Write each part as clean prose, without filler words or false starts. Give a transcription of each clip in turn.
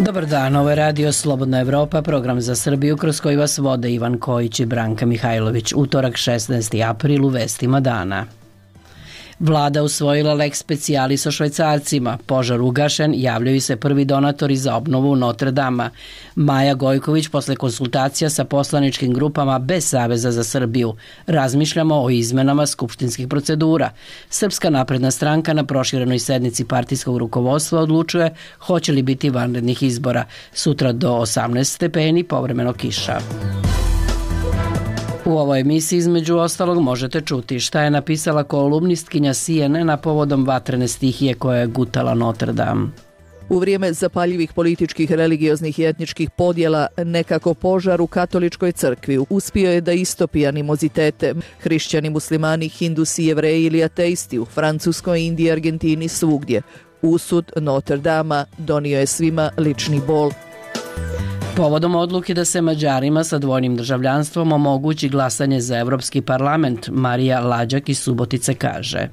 Dobar dan, ovo je Radio Slobodna Evropa, program za Srbiju kroz koji vas vode Ivan Kojić i Branka Mihajlović. Utorak 16. april u vestima dana. Vlada usvojila lex specialis o Švajcarcima. Požar ugašen, javljaju se prvi donatori za obnovu Notre Dama. Maja Gojković posle konsultacija sa poslaničkim grupama bez Saveza za Srbiju. Razmišljamo o izmenama skupštinskih procedura. Srpska napredna stranka na proširenoj sednici partijskog rukovodstva odlučuje hoće li biti vanrednih izbora. Sutra do 18 stepeni, povremeno kiša. U ovoj emisiji između ostalog možete čuti šta je napisala kolumnistkinja CNN-a povodom vatrene stihije koja je gutala Notre Dame. U vrijeme zapaljivih političkih, religioznih i etničkih podjela, nekako požar u katoličkoj crkvi uspio je da istopi animozitete. Hrišćani, muslimani, hindusi, jevreji ili ateisti u Francuskoj, Indiji, Argentini, svugdje. Usud Notre Dama donio je svima lični bol. Povodom odluke da se Mađarima sa dvojnim državljanstvom omogući glasanje za Evropski parlament, Marija Lađak iz Subotice kaže: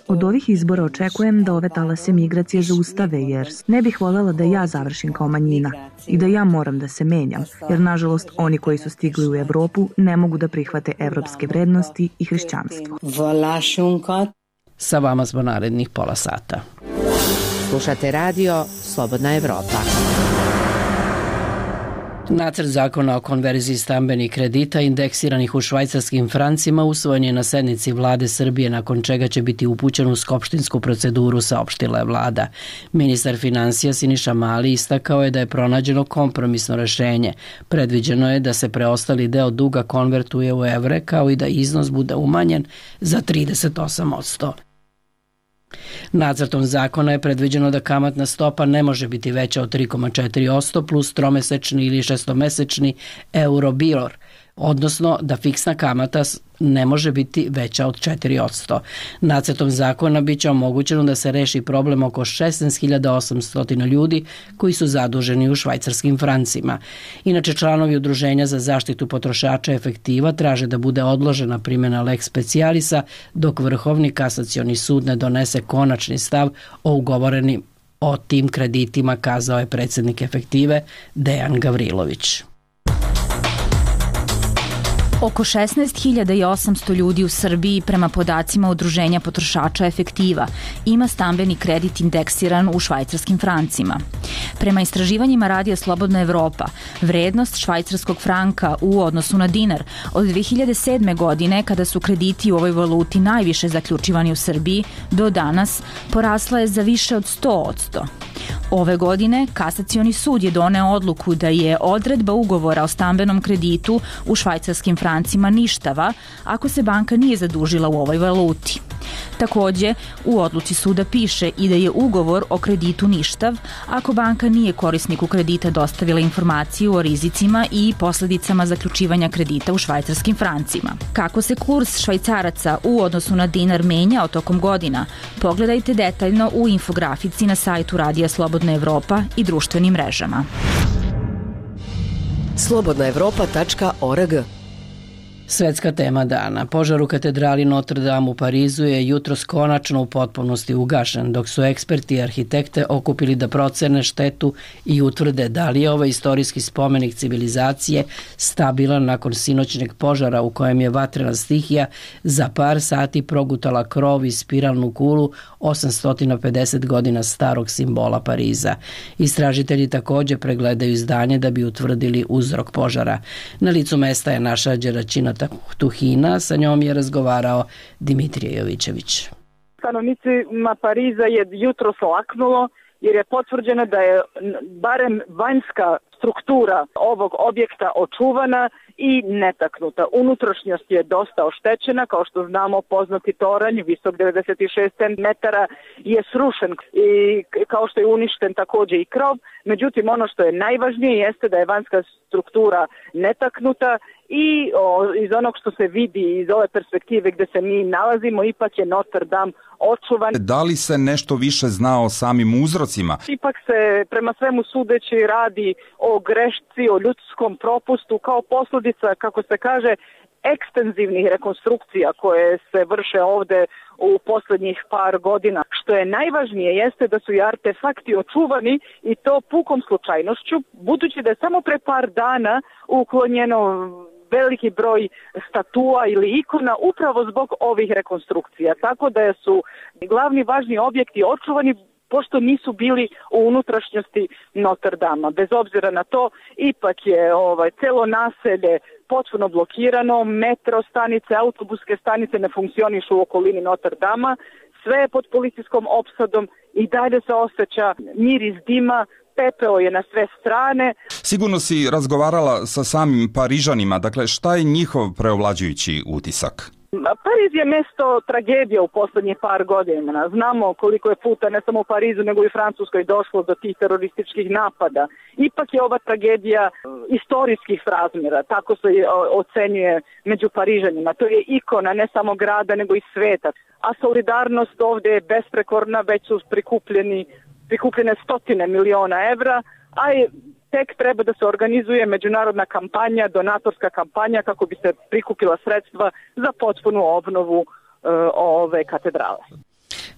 Od ovih izbora očekujem da ove talase migracije zaustave, jer ne bih voljela da ja završim kao manjina i da ja moram da se menjam, jer nažalost oni koji su stigli u Evropu ne mogu da prihvate evropske vrednosti i hrišćanstvo. Sa vama smo narednih pola sata. Slušate radio Slobodna Evropa. Nacrt zakona o konverziji stambenih kredita indeksiranih u švajcarskim francima usvojen je na sednici Vlade Srbije, nakon čega će biti upućen u skupštinsku proceduru, saopštila je vlada. Ministar finansija Siniša Mali istakao je da je pronađeno kompromisno rešenje. Predviđeno je da se preostali deo duga konvertuje u evre, kao i da iznos bude umanjen za 38%. Nacrtom zakona je predviđeno da kamatna stopa ne može biti veća od 3,4% plus tromesečni ili šestomesečni Euribor, odnosno da fiksna kamata ne može biti veća od 4%. Nacrtom zakona biće omogućeno da se reši problem oko 16.800 ljudi koji su zaduženi u švajcarskim francima. Inače, članovi Udruženja za zaštitu potrošača Efektiva traže da bude odložena primjena lex specialisa dok Vrhovni kasacioni sud ne donese konačni stav o ugovorenim o tim kreditima, kazao je predsjednik Efektive Dejan Gavrilović. Oko 16.800 ljudi u Srbiji, prema podacima Udruženja potrošača Efektiva, ima stambeni kredit indeksiran u švajcarskim francima. Prema istraživanjima Radija Slobodna Evropa, vrednost švajcarskog franka u odnosu na dinar od 2007. godine, kada su krediti u ovoj valuti najviše zaključivani u Srbiji, do danas porasla je za više od 100%. Ove godine Kasacioni sud je doneo odluku da je odredba ugovora o stambenom kreditu u švajcarskim francima ništava ako se banka nije zadužila u ovoj valuti. Takođe, u odluci suda piše i da je ugovor o kreditu ništav ako banka nije korisniku kredita dostavila informaciju o rizicima i posledicama zaključivanja kredita u švajcarskim francima. Kako se kurs švajcaraca u odnosu na dinar menjao tokom godina, pogledajte detaljno u infografici na sajtu Radija Slobodna Evropa i društvenim mrežama. slobodnaevropa.org. Svetska tema dana. Požar u katedrali Notre Dame u Parizu je jutros konačno u potpunosti ugašen, dok su eksperti i arhitekte okupili da procene štetu i utvrde da li je ovaj istorijski spomenik civilizacije stabilan nakon sinoćnjeg požara u kojem je vatrena stihija za par sati progutala krov i spiralnu kulu 850 godina starog simbola Pariza. Istražitelji također pregledaju zdanje da bi utvrdili uzrok požara. Na licu mesta je naša Đeračina Tuhina, sa njom je razgovarao Dimitrije Jovićević. Stanovnicima Pariza je jutros laknulo jer je potvrđeno da je barem vanjska struktura ovog objekta očuvana i netaknuta. Unutrašnjost je dosta oštećena, kao što znamo poznati toranj, visok 96 metara, je srušen i kao što je uništen također i krov. Međutim, ono što je najvažnije jeste da je vanjska struktura netaknuta i iz onog što se vidi iz ove perspektive gdje se mi nalazimo, ipak je Notre Dame očuvan. Da li se nešto više zna o samim uzrocima? Ipak se prema svemu sudeći radi o grešci, o ljudskom propustu kao posljedica, kako se kaže, ekstenzivnih rekonstrukcija koje se vrše ovde u poslednjih par godina. Što je najvažnije jeste da su i artefakti očuvani i to pukom slučajnošću, budući da je samo pre par dana uklonjeno veliki broj statua ili ikona upravo zbog ovih rekonstrukcija. Tako da su glavni važni objekti očuvani pošto nisu bili u unutrašnjosti Notre Dama. Bez obzira na to, ipak je celo naselje potpuno blokirano, metro stanice, autobuske stanice ne funkcionišu u okolini Notre Dama, sve je pod policijskom opsadom i dalje se osjeća miris dima, pepeo je na sve strane. Sigurno si razgovarala sa samim Parižanima, dakle šta je njihov preovlađujući utisak? Pariz je mesto tragedije u poslednjih par godina. Znamo koliko je puta ne samo u Parizu nego i u Francuskoj došlo do tih terorističkih napada. Ipak je ova tragedija istorijskih razmjera, tako se ocenjuje među Parižanima. To je ikona ne samo grada nego i sveta. A solidarnost ovde je besprekorna, već su prikupljene stotine miliona evra, a tek treba da se organizuje međunarodna kampanja, donatorska kampanja kako bi se prikupila sredstva za potpunu obnovu ove katedrale.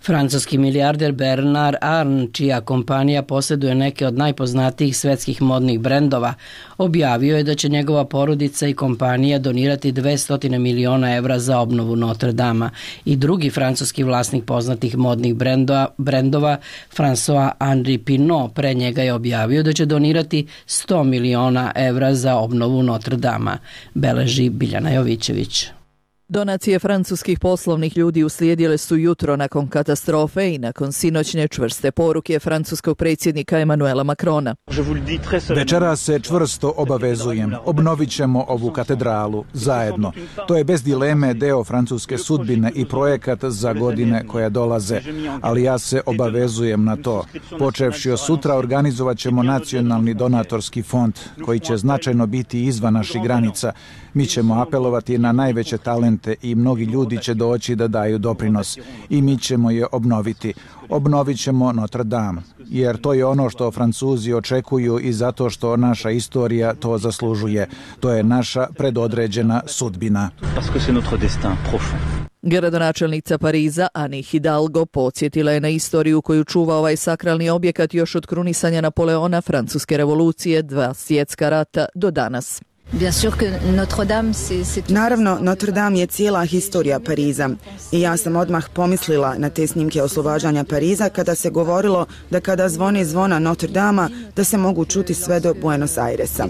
Francuski milijarder Bernard Arnault, čija kompanija posjeduje neke od najpoznatijih svetskih modnih brendova, objavio je da će njegova porodica i kompanija donirati 200 miliona evra za obnovu Notre Dama. I drugi francuski vlasnik poznatih modnih brendova, François-Henri Pinault, pre njega je objavio da će donirati 100 miliona evra za obnovu Notre Dama, beleži Biljana Jovićević. Donacije francuskih poslovnih ljudi uslijedile su jutro nakon katastrofe i nakon sinoćne čvrste poruke francuskog predsjednika Emmanuela Macrona. Večeras se čvrsto obavezujem. Obnovit ćemo ovu katedralu zajedno. To je bez dileme deo francuske sudbine i projekat za godine koje dolaze. Ali ja se obavezujem na to. Počevši od sutra organizovat ćemo nacionalni donatorski fond koji će značajno biti izvan naših granica. Mi ćemo apelovati na najveće talente i mnogi ljudi će doći da daju doprinos i mi ćemo je obnoviti. Obnovit ćemo Notre Dame, jer to je ono što Francuzi očekuju i zato što naša istorija to zaslužuje. To je naša predodređena sudbina. Gradonačelnica Pariza Anne Hidalgo podsjetila je na istoriju koju čuva ovaj sakralni objekat još od krunisanja Napoleona, Francuske revolucije, 2 svjetska rata do danas. Naravno, Notre Dame je cijela historija Pariza i ja sam odmah pomislila na te snimke oslobađanja Pariza kada se govorilo da kada zvoni zvona Notre Dama da se mogu čuti sve do Buenos Airesa.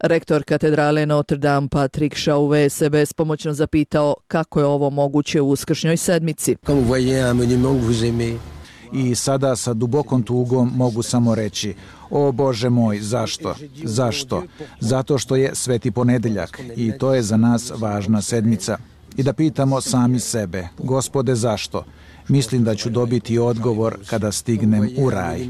Rektor katedrale Notre Dame Patrick Chauvet se bespomoćno zapitao kako je ovo moguće u uskršnjoj sedmici. I sada sa dubokom tugom mogu samo reći: o Bože moj, zašto? Zašto? Zato što je Sveti ponedeljak i to je za nas važna sedmica. I da pitamo sami sebe: Gospode, zašto? Mislim da ću dobiti odgovor kada stignem u raj.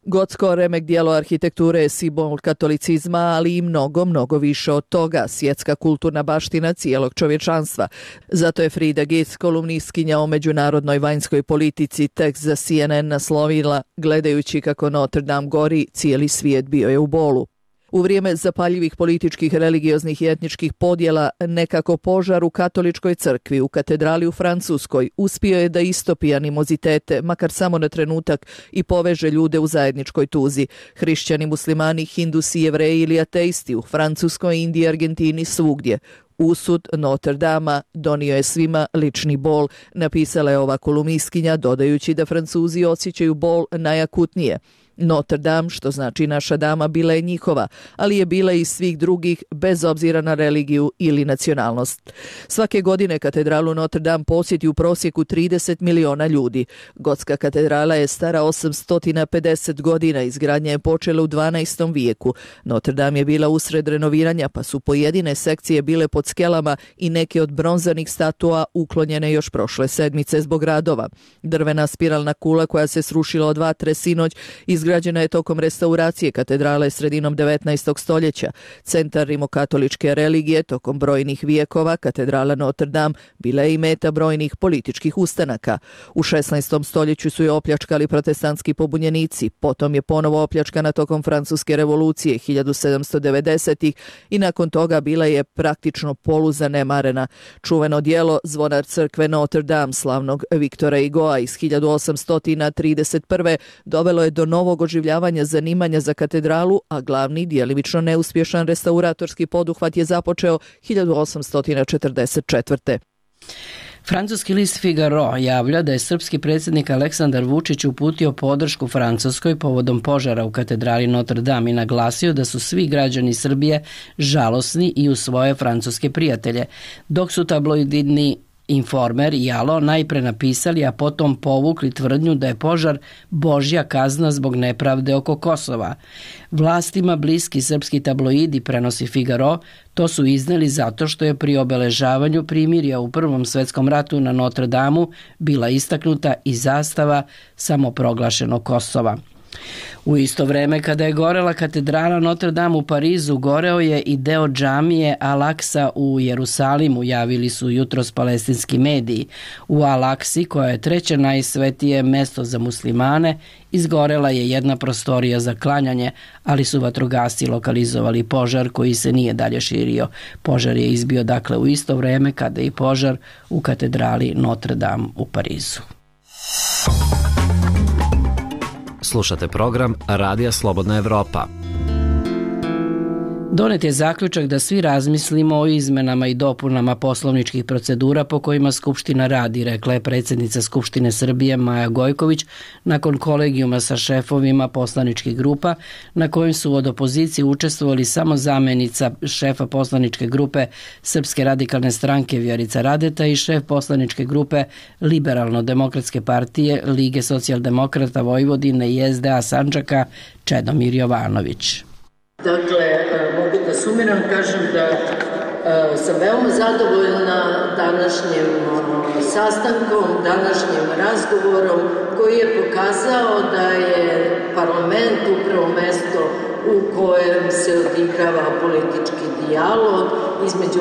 Gotsko remek dijelo arhitekture je simbol katolicizma, ali i mnogo više od toga, svjetska kulturna baština cijelog čovječanstva. Zato je Frida Gitz, kolumnistkinja o međunarodnoj vanjskoj politici, tekst za CNN naslovila: gledajući kako Notre Dame gori, cijeli svijet bio je u bolu. U vrijeme zapaljivih političkih, religioznih i etničkih podjela, nekako požar u katoličkoj crkvi u katedrali u Francuskoj uspio je da istopi animozitete, makar samo na trenutak, i poveže ljude u zajedničkoj tuzi. Hrišćani, muslimani, hindusi, jevreji ili ateisti u Francuskoj, Indiji, Argentini, svugdje. Usud Notre Dama donio je svima lični bol, napisala je ova kolumnistkinja, dodajući da Francuzi osjećaju bol najakutnije. Notre Dame, što znači naša dama, bila je njihova, ali je bila i svih drugih bez obzira na religiju ili nacionalnost. Svake godine katedralu Notre Dame posjeti u prosjeku 30 miliona ljudi. Gotska katedrala je stara 850 godina, izgradnja je počela u 12. vijeku. Notre Dame je bila usred renoviranja, pa su pojedine sekcije bile pod skelama i neke od bronzanih statua uklonjene još prošle sedmice zbog radova. Drvena spiralna kula koja se srušila od vatre sinoć izgledala Izgrađena je tokom restauracije katedrale sredinom 19. stoljeća. Centar rimokatoličke religije tokom brojnih vijekova, katedrala Notre Dame bila je i meta brojnih političkih ustanaka. U 16. stoljeću su je opljačkali protestantski pobunjenici, potom je ponovo opljačkana tokom Francuske revolucije 1790-ih i nakon toga bila je praktično poluzanemarena. Čuveno dijelo Zvonar crkve Notre Dame slavnog Viktora Hugoa iz 1831. dovelo je do novog oživljavanja zanimanja za katedralu, a glavni djelimično neuspješan restauratorski poduhvat je započeo 1844. Francuski list Figaro javlja da je srpski predsjednik Aleksandar Vučić uputio podršku Francuskoj povodom požara u katedrali Notre Dame i naglasio da su svi građani Srbije žalosni i u svoje francuske prijatelje, dok su tabloidni Informer i Alo najpre napisali, a potom povukli tvrdnju da je požar božja kazna zbog nepravde oko Kosova. Vlastima bliski srpski tabloidi, prenosi Figaro, to su izneli zato što je pri obeležavanju primirja u Prvom svetskom ratu na Notre Dameu bila istaknuta i zastava samoproglašenog Kosova. U isto vreme kada je gorela katedrala Notre Dame u Parizu, goreo je i deo džamije Al-Aksa u Jerusalimu, javili su jutros palestinski mediji. U Al-Aksi, koja je treće najsvetije mesto za muslimane, izgorela je jedna prostorija za klanjanje, ali su vatrogasci lokalizovali požar koji se nije dalje širio. Požar je izbio dakle u isto vreme kada i požar u katedrali Notre Dame u Parizu. Slušate program Radija Slobodna Evropa. Donet je zaključak da svi razmislimo o izmenama i dopunama poslovničkih procedura po kojima Skupština radi, rekla je predsjednica Skupštine Srbije Maja Gojković nakon kolegijuma sa šefovima poslaničkih grupa na kojem su od opozicije učestvovali samo zamenica šefa poslaničke grupe Srpske radikalne stranke Vjerica Radeta i šef poslaničke grupe Liberalno-demokratske partije Lige socijaldemokrata Vojvodine i SDA Sandžaka Čedomir Jovanović. Dakle, mogu da sumiram, kažem da sam veoma zadovoljna današnjim sastankom, današnjim razgovorom koji je pokazao da je parlament upravo mesto u kojem se odigrava politički dijalog između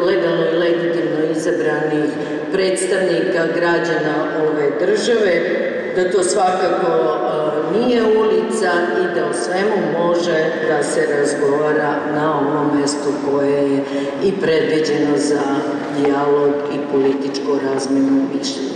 legalno i legitimno izabranih predstavnika građana ove države, da to svakako nije ulica i da o svemu može da se razgovara na ovom mestu koje je i predviđeno za dijalog i političku razmjenu mišljenja.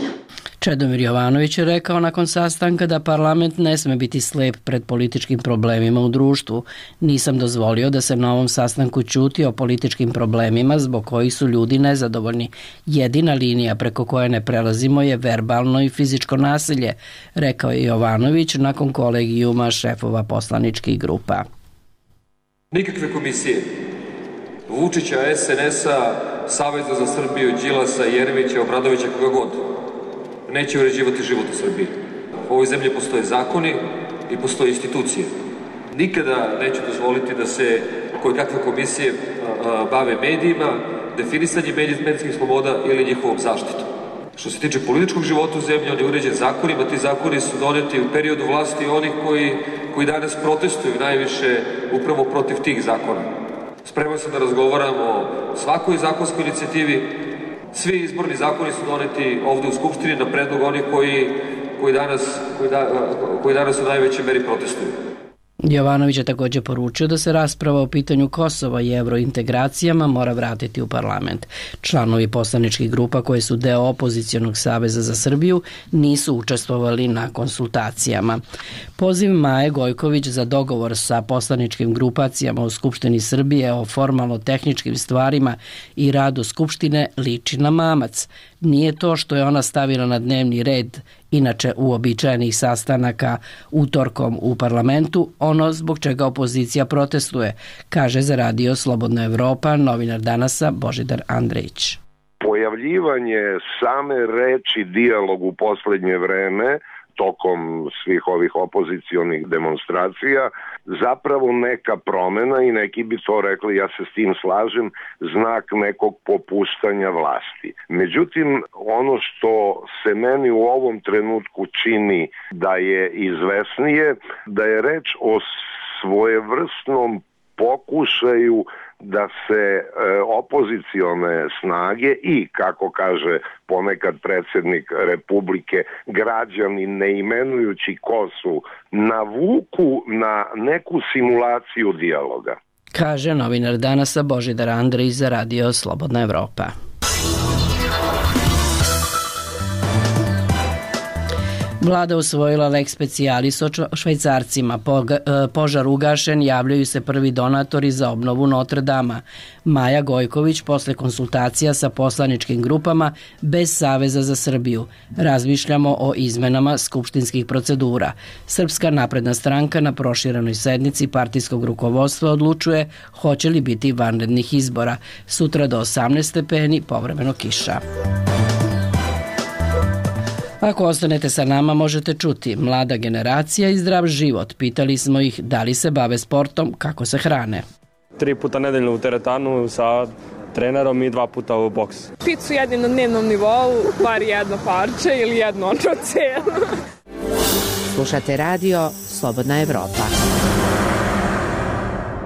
Čedomir Jovanović je rekao nakon sastanka da parlament ne sme biti slep pred političkim problemima u društvu. Nisam dozvolio da se na ovom sastanku ćuti o političkim problemima zbog kojih su ljudi nezadovoljni. Jedina linija preko koje ne prelazimo je verbalno i fizičko nasilje, rekao je Jovanović nakon kolegijuma šefova poslaničkih grupa. Nikakve komisije Vučića, SNS-a, Saveza za Srbiju, Đilasa, Jeremića, Obradovića, koga god, neće uređivati život u Srbiji. U ovoj zemlji postoje zakoni i postoje institucije. Nikada neću dozvoliti da se kojekakve komisije bave medijima, definisanjem medijskih sloboda ili njihovom zaštitom. Što se tiče političkog života u zemlji, on je uređen zakonima, ti zakoni su doneti u periodu vlasti onih koji danas protestuju najviše upravo protiv tih zakona. Spreman sam da razgovaram o svakoj zakonskoj inicijativi. Svi izborni zakoni su doneti ovde u Skupštini na predlog onih koji danas u najvećoj meri protestuju. Jovanović je također poručio da se rasprava o pitanju Kosova i evrointegracijama mora vratiti u parlament. Članovi poslaničkih grupa koji su deo opozicionog Saveza za Srbiju nisu učestvovali na konsultacijama. Poziv Maje Gojković za dogovor sa poslaničkim grupacijama u Skupštini Srbije o formalno-tehničkim stvarima i radu Skupštine liči na mamac. Nije to što je ona stavila na dnevni red inače uobičajenih sastanaka utorkom u parlamentu, ono zbog čega opozicija protestuje, kaže za radio Slobodna Evropa novinar Danasa Božidar Andrejić. Pojav pojavljivanje same reči dijalog u poslednje vreme tokom svih ovih opozicionih demonstracija zapravo neka promena i neki bi to rekli, ja se s tim slažem, znak nekog popuštanja vlasti. Međutim, ono što se meni u ovom trenutku čini da je izvesnije, da je reč o svojevrsnom pokušaju da se opozicione snage i, kako kaže ponekad predsjednik Republike, građani ne imenujući ko su, navuku na neku simulaciju dijaloga. Kaže novinar Danasa Božidar Andrić za Radio Slobodna Evropa. Vlada usvojila lex specialis o Švajcarcima. Požar ugašen, javljaju se prvi donatori za obnovu Notre Dama. Maja Gojković posle konsultacija sa poslaničkim grupama bez Saveza za Srbiju. Razmišljamo o izmenama skupštinskih procedura. Srpska napredna stranka na proširenoj sednici partijskog rukovodstva odlučuje hoće li biti vanrednih izbora. Sutra do 18 stepeni, povremeno kiša. Ako ostanete sa nama, možete čuti mlada generacija i zdrav život. Pitali smo ih da li se bave sportom, kako se hrane. 3 puta nedeljno u teretanu sa trenerom i 2 puta u boks. Picu jedim na dnevnom nivou, bar jedno parče ili jedno celo. Slušate radio Slobodna Evropa.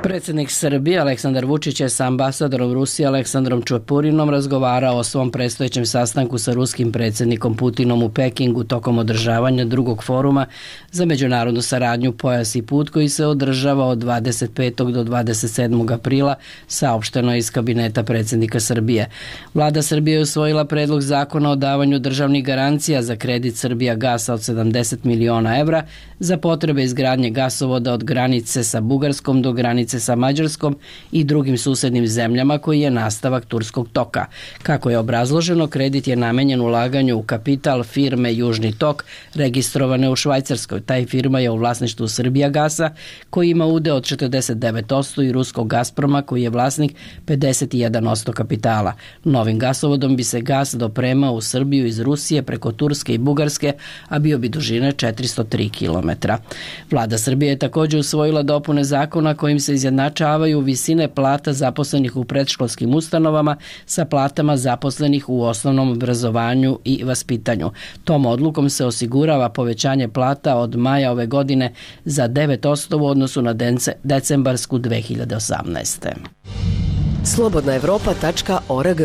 Predsjednik Srbije Aleksandar Vučić je sa ambasadorom Rusije Aleksandrom Čepurinom razgovarao o svom predstojećem sastanku sa ruskim predsjednikom Putinom u Pekingu tokom održavanja drugog foruma za međunarodnu saradnju Pojas i put koji se održava od 25. do 27. aprila, saopšteno iz kabineta predsjednika Srbije. Vlada Srbije je usvojila predlog zakona o davanju državnih garancija za kredit Srbija gasa od 70 miliona evra za potrebe izgradnje gasovoda od granice sa Bugarskom do granice sa Mađarskom i drugim susednim zemljama koji je nastavak Turskog toka. Kako je obrazloženo, kredit je namenjen ulaganju u kapital firme Južni tok registrovane u Švajcarskoj. Taj firma je u vlasništvu Srbija gasa koji ima udeo od 49% i ruskog Gazproma koji je vlasnik 51% kapitala. Novim gasovodom bi se gas dopremao u Srbiju iz Rusije preko Turske i Bugarske, a bio bi dužine 403 km. Vlada Srbije je također usvojila dopune zakona kojim se izjednačavaju visine plata zaposlenih u predškolskim ustanovama sa platama zaposlenih u osnovnom obrazovanju i vaspitanju. Tom odlukom se osigurava povećanje plata od maja ove godine za 9% u odnosu na decembarsku 2018. slobodnaevropa.org.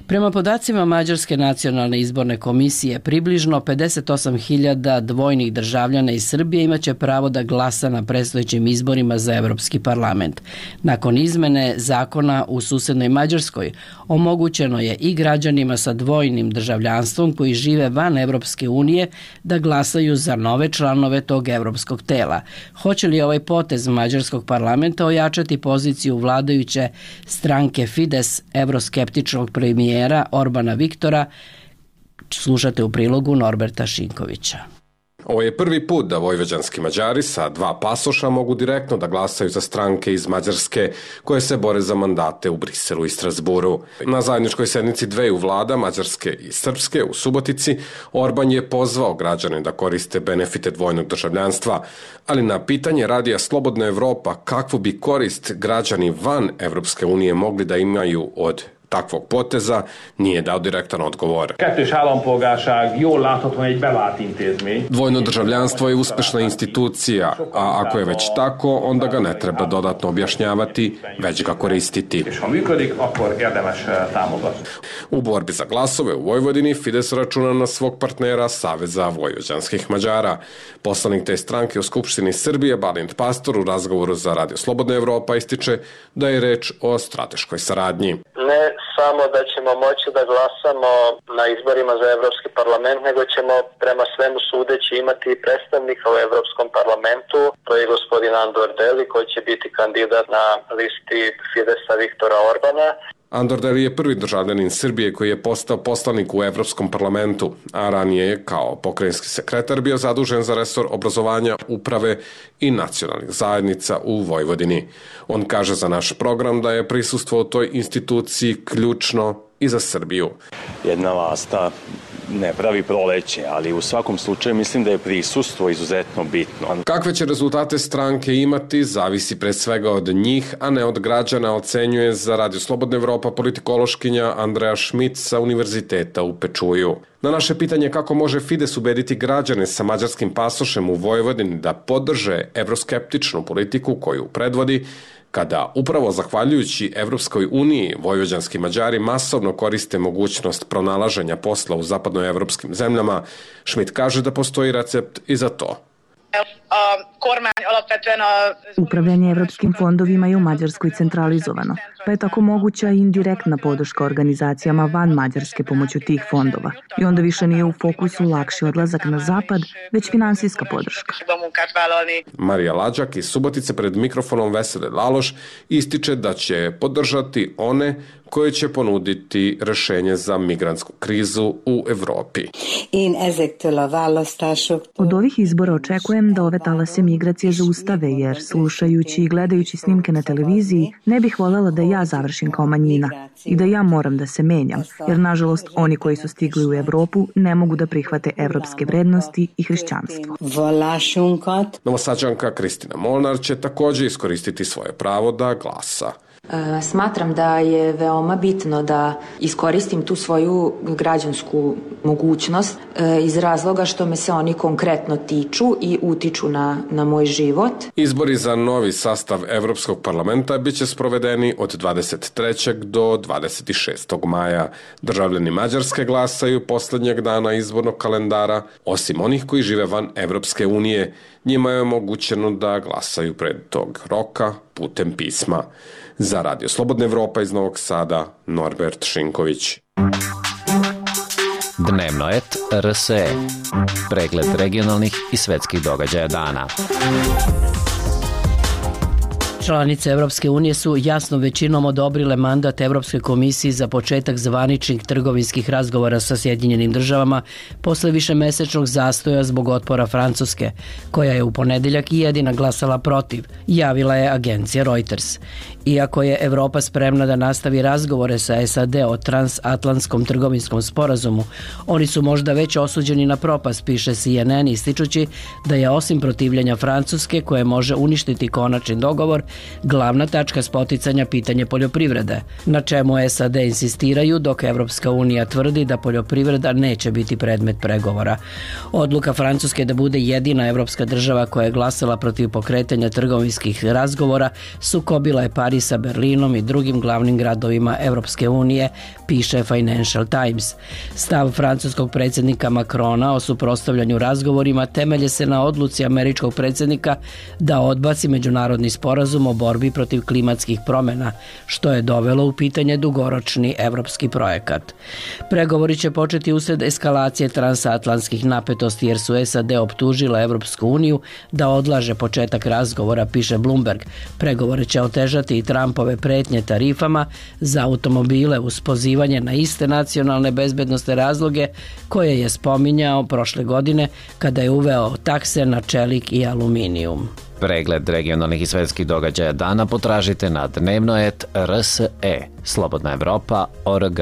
Prema podacima Mađarske nacionalne izborne komisije, približno 58.000 dvojnih državljana iz Srbije imaće pravo da glasa na predstojećim izborima za Evropski parlament. Nakon izmene zakona u susednoj Mađarskoj, omogućeno je i građanima sa dvojnim državljanstvom koji žive van Evropske unije da glasaju za nove članove tog evropskog tela. Hoće li ovaj potez Mađarskog parlamenta ojačati poziciju vladajuće stranke Fides, evroskeptičnog premijera Orbana Viktora? Slušate u prilogu Norberta Šinkovića. Ovo je prvi put da vojvođanski Mađari sa 2 pasoša mogu direktno da glasaju za stranke iz Mađarske koje se bore za mandate u Briselu i Strasburu. Na zajedničkoj sednici dveju vlada, Mađarske i Srpske, u Subotici, Orban je pozvao građane da koriste benefite dvojnog državljanstva, ali na pitanje radija Slobodna Evropa kakvu bi korist građani van Evropske unije mogli da imaju od takvog poteza, nije dao direktan odgovor. Dvojno državljanstvo je uspešna institucija, a ako je već tako, onda ga ne treba dodatno objašnjavati, već ga koristiti. U borbi za glasove u Vojvodini Fides računa na svog partnera Saveza vojvođanskih Mađara. Poslanik te stranke u Skupštini Srbije, Balint Pastor, u razgovoru za Radio Slobodna Evropa ističe da je reč o strateškoj saradnji. Ne samo da ćemo moći da glasamo na izborima za Evropski parlament, nego ćemo prema svemu sudeći imati predstavnika u Evropskom parlamentu, to je gospodin Andor Deli koji će biti kandidat na listi Fidesa Viktora Orbana. Andor Deli je prvi državljanin Srbije koji je postao poslanik u Evropskom parlamentu, a ranije je kao pokrajinski sekretar bio zadužen za resor obrazovanja, uprave i nacionalnih zajednica u Vojvodini. On kaže za naš program da je prisustvo u toj instituciji ključno i za Srbiju. Jedna lasta ne pravi proleće, ali u svakom slučaju mislim da je prisustvo izuzetno bitno. Kakve će rezultate stranke imati, zavisi pre svega od njih, a ne od građana, ocenjuje za Radio Slobodna Evropa politikološkinja Andreja Šmit sa Univerziteta u Pečuju. Na naše pitanje kako može Fides ubediti građane sa mađarskim pasošem u Vojvodini da podrže evroskeptičnu politiku koju predvodi, kada upravo zahvaljujući Evropskoj uniji vojvođanski Mađari masovno koriste mogućnost pronalaženja posla u zapadnoevropskim zemljama, Šmit kaže da postoji recept i za to. Upravljanje evropskim fondovima je u Mađarskoj centralizovano, pa je tako moguća i indirektna podrška organizacijama van Mađarske pomoću tih fondova. I onda više nije u fokusu lakši odlazak na zapad, već finansijska podrška. Marija Lađak iz Subotice pred mikrofonom Vesele Laloš ističe da će podržati one koje će ponuditi rešenje za migrantsku krizu u Evropi. Od ovih izbora očekujem da ove talase migracije zaustave, jer slušajući i gledajući snimke na televiziji ne bih voljela da ja završim kao manjina i da ja moram da se menjam, jer nažalost oni koji su stigli u Evropu ne mogu da prihvate evropske vrednosti i hrišćanstvo. Novosađanka Kristina Molnar će također iskoristiti svoje pravo da glasa. Smatram da je veoma bitno da iskoristim tu svoju građansku mogućnost iz razloga što me se oni konkretno tiču i utiču na moj život. Izbori za novi sastav Evropskog parlamenta biće sprovedeni od 23. do 26. maja. Državljani Mađarske glasaju poslednjeg dana izbornog kalendara, osim onih koji žive van Evropske unije. Njima je omogućeno da glasaju pred tog roka putem pisma. Za Radio Slobodna Evropa iz Novog Sada, Norbert Šinković. Dnevno et RSE. Pregled regionalnih i svetskih događaja dana. Članice Evropske unije su jasno većinom odobrile mandat Evropskoj komisiji za početak zvaničnih trgovinskih razgovora sa Sjedinjenim državama posle višemesečnog zastoja zbog otpora Francuske, koja je u ponedeljak i jedina glasala protiv, javila je agencija Reuters. Iako je Evropa spremna da nastavi razgovore sa SAD o transatlantskom trgovinskom sporazumu, oni su možda već osuđeni na propast, piše CNN, ističući da je osim protivljenja Francuske, koje može uništiti konačni dogovor, glavna tačka spoticanja pitanje poljoprivrede, na čemu SAD insistiraju dok Evropska unija tvrdi da poljoprivreda neće biti predmet pregovora. Odluka Francuske da bude jedina evropska država koja je glasala protiv pokretanja trgovinskih razgovora sukobila je Pariz sa Berlinom i drugim glavnim gradovima Evropske unije, piše Financial Times. Stav francuskog predsjednika Macrona o suprotstavljanju razgovorima temelje se na odluci američkog predsjednika da odbaci međunarodni sporazum o borbi protiv klimatskih promjena, što je dovelo u pitanje dugoročni evropski projekat. Pregovori će početi usred eskalacije transatlantskih napetosti jer su SAD optužila Evropsku uniju da odlaže početak razgovora, piše Bloomberg. Pregovore će otežati i Trumpove pretnje tarifama za automobile uz pozivanje na iste nacionalne bezbednosne razloge koje je spominjao prošle godine kada je uveo takse na čelik i aluminijum. Pregled regionalnih i svetskih događaja dana potražite na dnevnoet.rse, slobodnaevropa.org.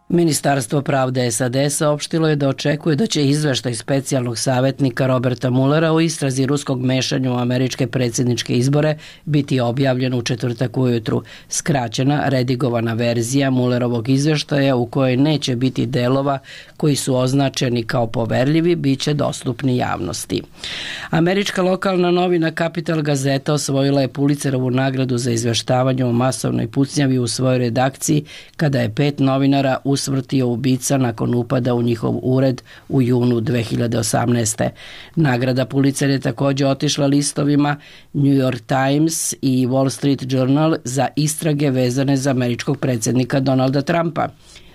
Ministarstvo pravde SAD saopštilo je da očekuje da će izveštaj specijalnog savjetnika Roberta Muellera o istrazi ruskog mešanja u američke predsjedničke izbore biti objavljen u četvrtak ujutru. Skraćena, redigovana verzija Muellerovog izveštaja u kojoj neće biti delova koji su označeni kao poverljivi biće dostupni javnosti. Američka lokalna novina Capital Gazeta osvojila je Pulitzerovu nagradu za izveštavanje o masovnoj pucnjavi u svojoj redakciji kada je 5 novinara usmrtio ubica nakon upada u njihov ured u junu 2018. Nagrada Pulitzer je također otišla listovima New York Times i Wall Street Journal za istrage vezane za američkog predsjednika Donalda Trumpa.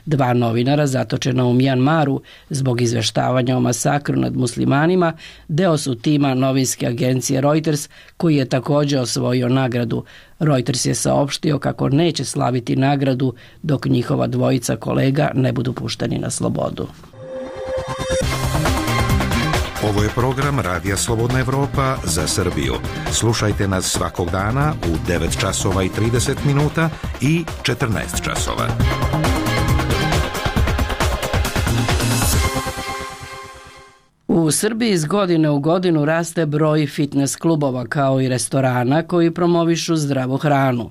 2 novinara zatočena u Mjanmaru zbog izveštavanja o masakru nad muslimanima deo su tima novinske agencije Reuters, koji je također osvojio nagradu. Reuters je saopštio kako neće slaviti nagradu dok njihova 2 kolega ne budu pušteni na slobodu. Ovo je program Radija Slobodna Evropa za Srbiju. Slušajte nas svakog dana u 9 časova i 30 minuta i 14 časova. U Srbiji iz godine u godinu raste broj fitness klubova kao i restorana koji promovišu zdravu hranu.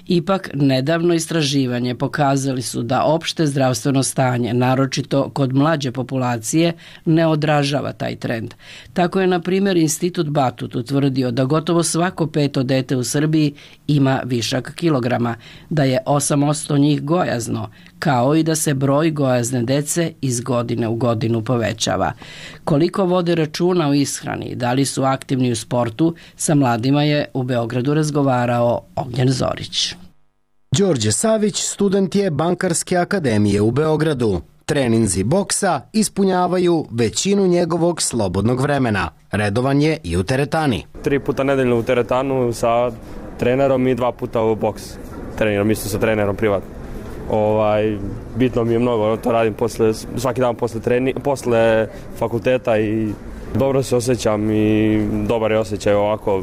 Ipak, nedavno istraživanje pokazali su da opšte zdravstveno stanje, naročito kod mlađe populacije, ne odražava taj trend. Tako je, na primjer, Institut Batut utvrdio da gotovo svako 5. dete u Srbiji ima višak kilograma, da je 8% njih gojazno, kao i da se broj gojazne dece iz godine u godinu povećava. Koliko vode računa o ishrani, da li su aktivni u sportu, sa mladima je u Beogradu razgovarao Ognjen Zorić. Đorđe Savić student je Bankarske akademije u Beogradu. Treninzi boksa ispunjavaju većinu njegovog slobodnog vremena. Redovan je i u teretani. 3 puta nedeljno u teretanu sa trenerom i 2 puta u boks. Treniram isto sa trenerom privatno. Bitno mi je mnogo, to radim svaki dan posle fakulteta i dobro se osjećam i dobar je osjećaj ovako.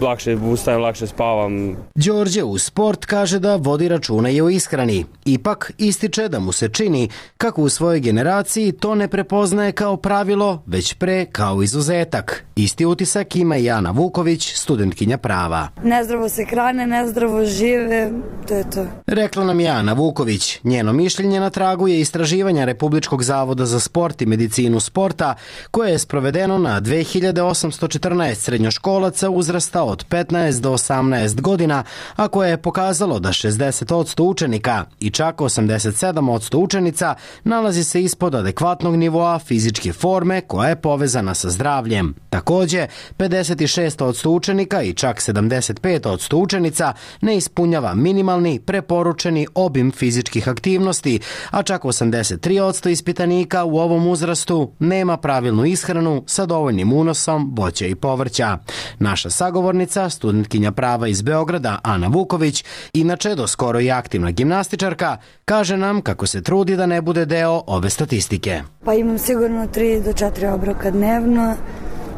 Lakše ustajem, lakše spavam. Đorđe u sport kaže da vodi računa i o ishrani. Ipak ističe da mu se čini kako u svojoj generaciji to ne prepoznaje kao pravilo, već pre kao izuzetak. Isti utisak ima i Ana Vuković, studentkinja prava. Nezdravo se hrane, nezdravo žive, to je to. Rekla nam je Ana Vuković. Njeno mišljenje na tragu je istraživanja Republičkog zavoda za sport i medicinu sporta, koje je sprovedeno na 2814 srednjoškolaca uzrasta od 15 do 18 godina, a koje je pokazalo da 60% učenika i čak 87% učenica nalazi se ispod adekvatnog nivoa fizičke forme koja je povezana sa zdravljem. Takođe, 56% učenika i čak 75% učenica ne ispunjava minimalni preporučeni obim fizičkih aktivnosti, a čak 83% ispitanika u ovom uzrastu nema pravilnu ishranu sa dovoljnim unosom voća i povrća. Naša sagovornica, studentkinja prava iz Beograda, Ana Vuković, inače do skoro i aktivna gimnastičarka, kaže nam kako se trudi da ne bude deo ove statistike. Pa imam sigurno 3 do 4 obroka dnevno.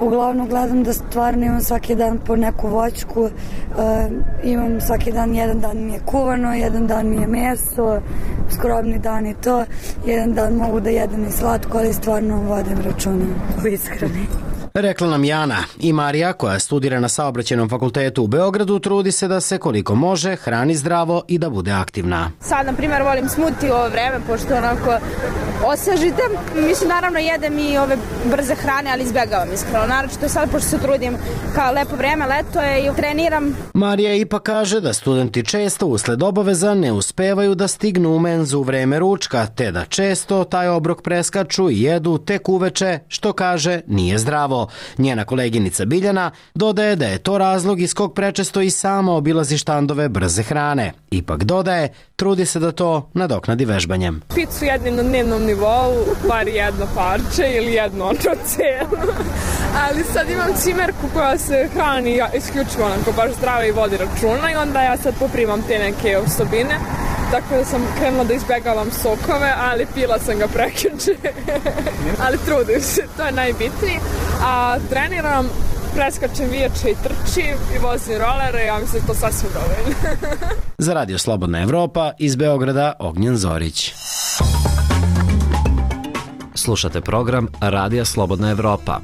Uglavnom gledam da stvarno imam svaki dan po neku voćku, imam svaki dan, jedan dan mi je kuvano, jedan dan mi je meso, skrobni dan i to, jedan dan mogu da jedem i slatko, ali stvarno vodim računa u ishrani. Rekla nam Jana. I Marija, koja studira na Saobraćajnom fakultetu u Beogradu, trudi se da se koliko može hrani zdravo i da bude aktivna. Sad, na primjer, volim smuti u ovo vreme, pošto onako osvežite. Mislim, naravno, jedem i ove brze hrane, ali izbjegavam iskreno. Naročito sad, pošto se trudim kao lepo vreme, leto je i treniram. Marija ipak kaže da studenti često usled obaveza ne uspevaju da stignu u menzu u vreme ručka, te da često taj obrok preskaču i jedu tek uveče, što kaže nije zdravo. Njena koleginica Biljana dodaje da je to razlog iz kog prečesto i sama obilazi štandove brze hrane. Ipak dodaje, trudi se da to nadoknadi vežbanjem. Picu jednim na dnevnom nivou, bar jedno parče ili jedno celo. Ali sad imam cimerku koja se hrani isključivo onako baš zdravo i vodi računa i onda ja sad poprimam te neke osobine. Tako da sam krenula da izbegavam sokove, ali pila sam ga prekjuče. Ali trudim se, to je najbitnije. A treniram, preskačem viječe i trčim i vozim rolere, ja mislim da to sasvim dovoljno. Za Radio Slobodna Evropa iz Beograda, Ognjen Zorić. Slušate program Radija Slobodna Evropa.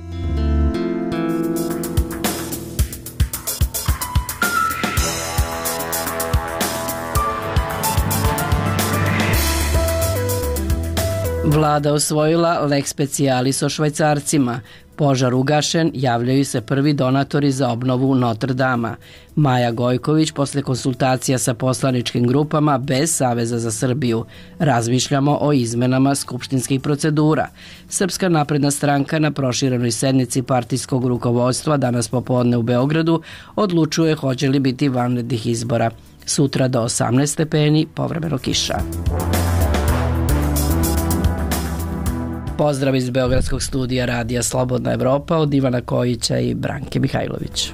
Vlada usvojila lex specialis o Švajcarcima. Požar ugašen, javljaju se prvi donatori za obnovu Notre Dama. Maja Gojković, posle konsultacija sa poslaničkim grupama bez Saveza za Srbiju. Razmišljamo o izmenama skupštinskih procedura. Srpska napredna stranka na proširenoj sednici partijskog rukovodstva danas popodne u Beogradu odlučuje hoće li biti vanrednih izbora. Sutra do 18 stepeni, povremeno kiša. Pozdrav iz Beogradskog studija Radija Slobodna Evropa od Ivana Kojića i Branke Mihajlović.